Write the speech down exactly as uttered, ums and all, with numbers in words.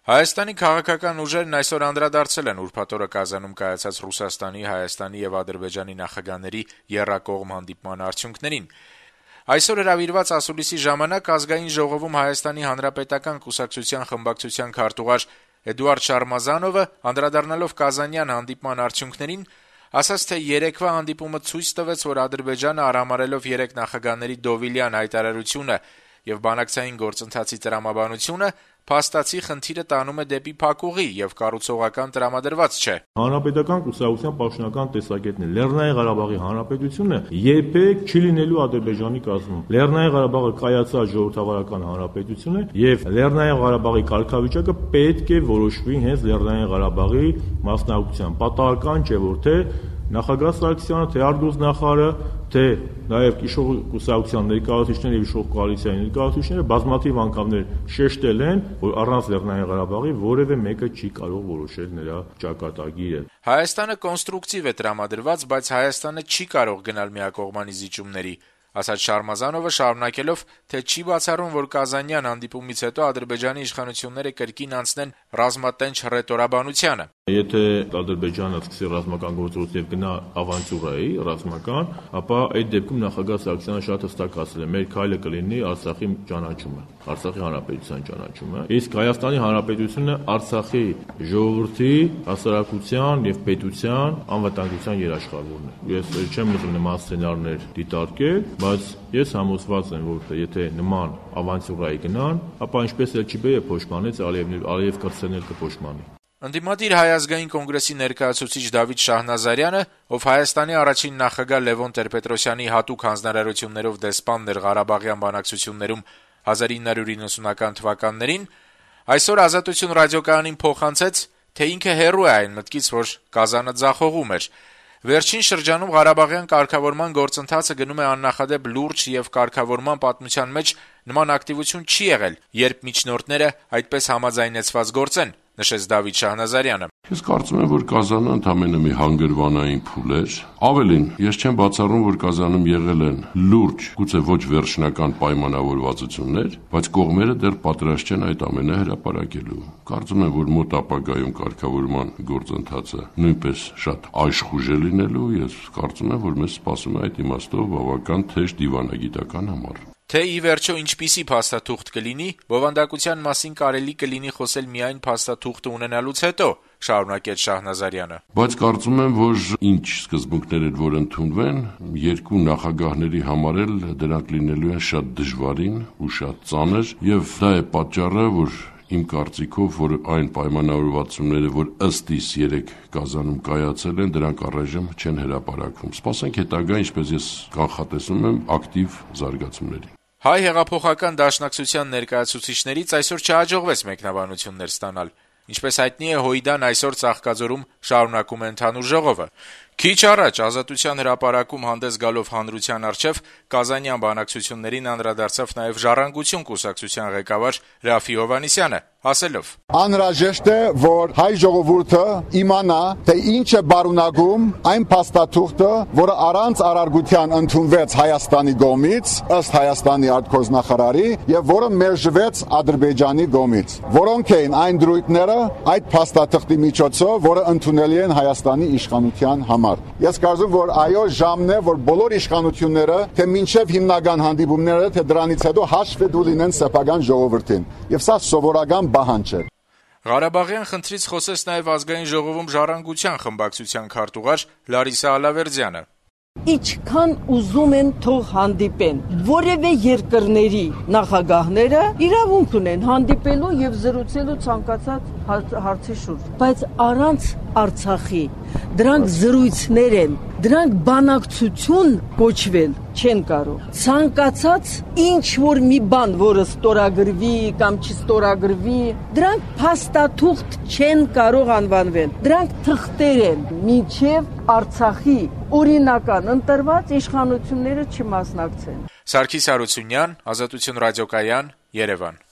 Հայաստանի քաղաքական ուժերն այսօր անդրադարձել են ուրբաթ օրը Կազանում կայացած Ռուսաստանի, Հայաստանի եւ Ադրբեջանի նախագահների եռակողմ հանդիպման արդյունքներին։ Այսօր հրավիրված ասուլիսի ժամանակ Ազգային ժողովում Հայաստանի Հանրապետական կուսակցության խմբակցության քարտուղար Էդուարդ Շարմազանովը, անդրադառնալով Կազանյան հանդիպման արդյունքներին, ասաց, թե երեկվա հանդիպումը ցույց տվեց, որ Ադրբեջանը արհամարհելով երեք նախագահների Դովիլյան հայտարարությունը եւ բանակցային գործընթացի տրամաբանությունը, փաստացի խնդիրը տանում է դեպի փակուղի եւ կառուցողական տրամադրված չէ։ Հանրապետական կուսակցության պաշտոնական տեսակետն է, Լեռնային Ղարաբաղի Հանրապետությունը երբեք չի լինելու Ադրբեջանի կազմում։ Լեռնային Ղարաբաղը կայացած ժողովրդավարական հանրապետություն է եւ Լեռնային Ղարաբաղի կարգավիճակը պետք է որոշվի հենց Լեռնային Ղարաբաղի մասնակցությամբ։ Պատահական չէ, որ թե նախագահ Սարգսյանը, թե արտգործնախարարը, թե նաև իշխող կուսակցության ներկայացուցիչները եւ իշխող կոալիցիայի ներկայացուցիչները բազմաթիվ անգամներ շեշտել են, որ առանց Լեռնային Ղարաբաղի որևէ մեկը չի կարող որոշել նրա ճակատագիրը։ Հայաստանը կոնստրուկտիվ է տրամադրված, բայց Հայաստանը չի կարող գնալ միակողմանի զիջումների, ասաց Շարմազանովը, շարունակելով, թե չի բացառում, որ Կազանյան հանդիպումից հետո Ադրբեջանի իշխանությունները կրկին անցնեն ռազմատենչ հռետորաբանությանը։ Եթե Ադրբեջանը սկսի ռազմական գործողություն եւ գնա ավանտյուրայի ռազմական, ապա այդ դեպքում նախագահ Սարգսյանը շատ հստակ ասել է, մեր քայլը կլինի Արցախի ճանաչումը, Արցախի հանրապետության ճանաչումը։ Իսկ Հայաստանի հանրապետությունը Արցախի ժողովրդի հասարակության եւ պետության անվտանգության երաշխավորն է։ Ես չեմ ուզում նման սցենարներ դիտարկել, բայց ես համոզված եմ, որ եթե նման ավանտյուրայի գնան, ապա ինչպես էլ չի բերե փոշմանից Ալիևն Ալիև կրծեն էլ կփոշմանի։ Ընդդիմադիր Հայ ազգային կոնգրեսի ներկայացուցիչ Դավիթ Շահնազարյանը, ով Հայաստանի առաջին նախագահ Լևոն Տեր-Պետրոսյանի հատուկ հանձնարարություններով դեսպանն էր Ղարաբաղյան բանակցություններում հազար ինը հարյուր իննսունական թվականներին, այսօր Ազատություն ռադիոկայանին փոխանցեց, թե ինքը հեռու է այն մտքից, որ Կազանը ձախողում էր։ Վերջին շրջանում Ղարաբաղյան կարգավորման գործընթացը գնում է աննախադեպ լուրջ եւ կարգավորման պատմության մեջ նման ակտիվություն չի եղել, երբ միջնորդները այդպես համաձայնեցված գործեն, նշեց Դավիթ Շահնազարյանը։ Ես կարծում եմ, որ Կազանը ընդամենը մի հանգրվանային փուլ էր։ Ավելին, ես չեմ բացառում, որ Կազանում եղել են լուրջ, գուցե ոչ վերջնական պայմանավորվածություններ, բայց կողմերը դեռ պատրաստ չեն այդ ամենը հրապարակելու։ Կարծում եմ, որ մոտ ապագայում կարգավորման գործընթացը նույնպես շատ աշխուժ է լինելու, ես կարծում եմ, որ մեզ սպասում է այդ իմաստով բավական թեժ դիվանագիտական համար։ Թե ի վերջո ինչպիսի փաստաթուղթ կլինի, բովանդակության մասին կարելի կլինի խոսել միայն փաստաթուղթը ունենալուց հետո, շարունակեց Շահնազարյանը։ Բայց կարծում եմ, որ ինչ սկզբունքներ են, որ ընդունվեն, երկու նախագահների համար էլ դրանք լինելու են շատ դժվարին ու շատ ծանր, եւ դա է պատճառը, որ իմ կարծիքով, որ այն պայմանավորվածությունները, որ ըստ իս երեք Կազանում կայացել են, դրանք առայժմ չեն հրապարակվում։ Սպասենք հետագա, ինչպես ես կանխատեսում եմ, ակտիվ զարգացումների։ Հայ հեղափոխական դաշնակցության ներկայացուցիչներից այսօր չհաջողվեց մեկնաբանություններ ստանալ։ Ինչպես հայտնի է, Հույդան այսօր Ծաղկաձորում շարունակում է ընդհանուր ժողովը։ Քիչ առաջ Ազատության հրապարակում հանդես գալով հանրության առջև Կազանյան բանակցություններին անդրադարձավ նաև Ժառանգություն կուսակցության ղեկավար Ռաֆի Հովհաննիսյանը, ասելով. Անհրաժեշտ է, որ հայ ժողովուրդը իմանա, թե ինչ է բարունակում այն փաստաթուղթը, որը առանց արարգության ընդունվեց Հայաստանի կողմից, ըստ Հայաստանի արտգործնախարարի, եւ որը մերժվեց Ադրբեջանի կողմից։ Որոնք էին այն դրույթները այդ փաստաթղթի միջոցով, որը ընդունելի են Հայաստանի իշխանության համար։ Ես կարծում եմ, որ այո, ժամն է, որ բոլոր իշխանությունները, թե մինչև հիմնական հանդիպումները, թե դրանից հետո հաշվետու լինեն սեփական ժողովրդին։ Եվ սա սովորական բանջ է։ Ղարաբաղյան խնդրից խոսեց նաև Ազգային ժողովում Ժառանգության խմբակցության քարտուղար Լարիսա Ալավերդյանը։ Ինչքան ուզում են թող հանդիպեն, որևէ երկրների նախագահները իրավունք ունեն հանդիպելու եւ զրուցելու ցանկացած հարցի շուրջ, բայց առանց Արցախի դրանք զրույցներ են, դրանք բանակցություն կոչվել չեն կարող։ Ցանկացած ինչ որ մի բան, որը ստորագրվի կամ չստորագրվի, դրանք փաստաթուղթ չեն կարող անվանվել։ Դրանք թղթեր են, մինչև Արցախի օրինական ընտրված իշխանությունները չմասնակցեն։ Սարգիս Հարությունյան, Ազատություն ռադիոկայան, Երևան։